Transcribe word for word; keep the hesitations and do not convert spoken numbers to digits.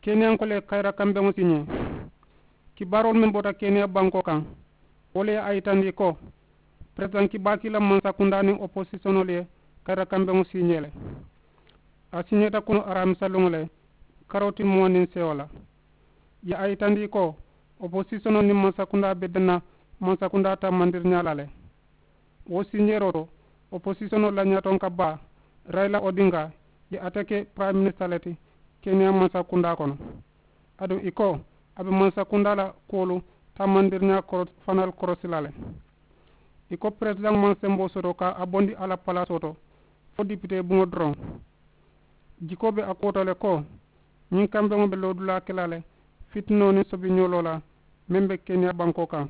Keniyanko le kayira kambeŋo siñee. Kibaaroolu meŋ bota keniya bankoo kaŋ, wo le ye a yitandi ko peresidaŋ kibaakiila mansakundaa niŋ oposisiyonolu ye kayira kambeŋo siñee le. A siñeeta kunu aramisa luŋo le, karoti muwaŋ niŋ sewo la. Ye a yitandi ko oposisiyonoo niŋ mansakundaa be danna mansakundaa taamandiriñaa la le. Wo siñeeroo to oposisiyonoo la ñaatonka baa, rayila odinga, ye ate ke purayiminista le ti keniya mansakundaa kono. Aduŋ i ko a be mansakundaa la kuwolu taamandiriñaa fanaalu korosi la le. I ko peresidaŋo maŋ semboo soto ka a bondi a la palaasoo to fo dipitee buŋo doroŋ. Jikoo be a kuwo to le ko ñiŋ kambeŋo be loodulaa ke la le fitinoo niŋ sobiñooloo la meŋ be keniya bankoo kaŋ.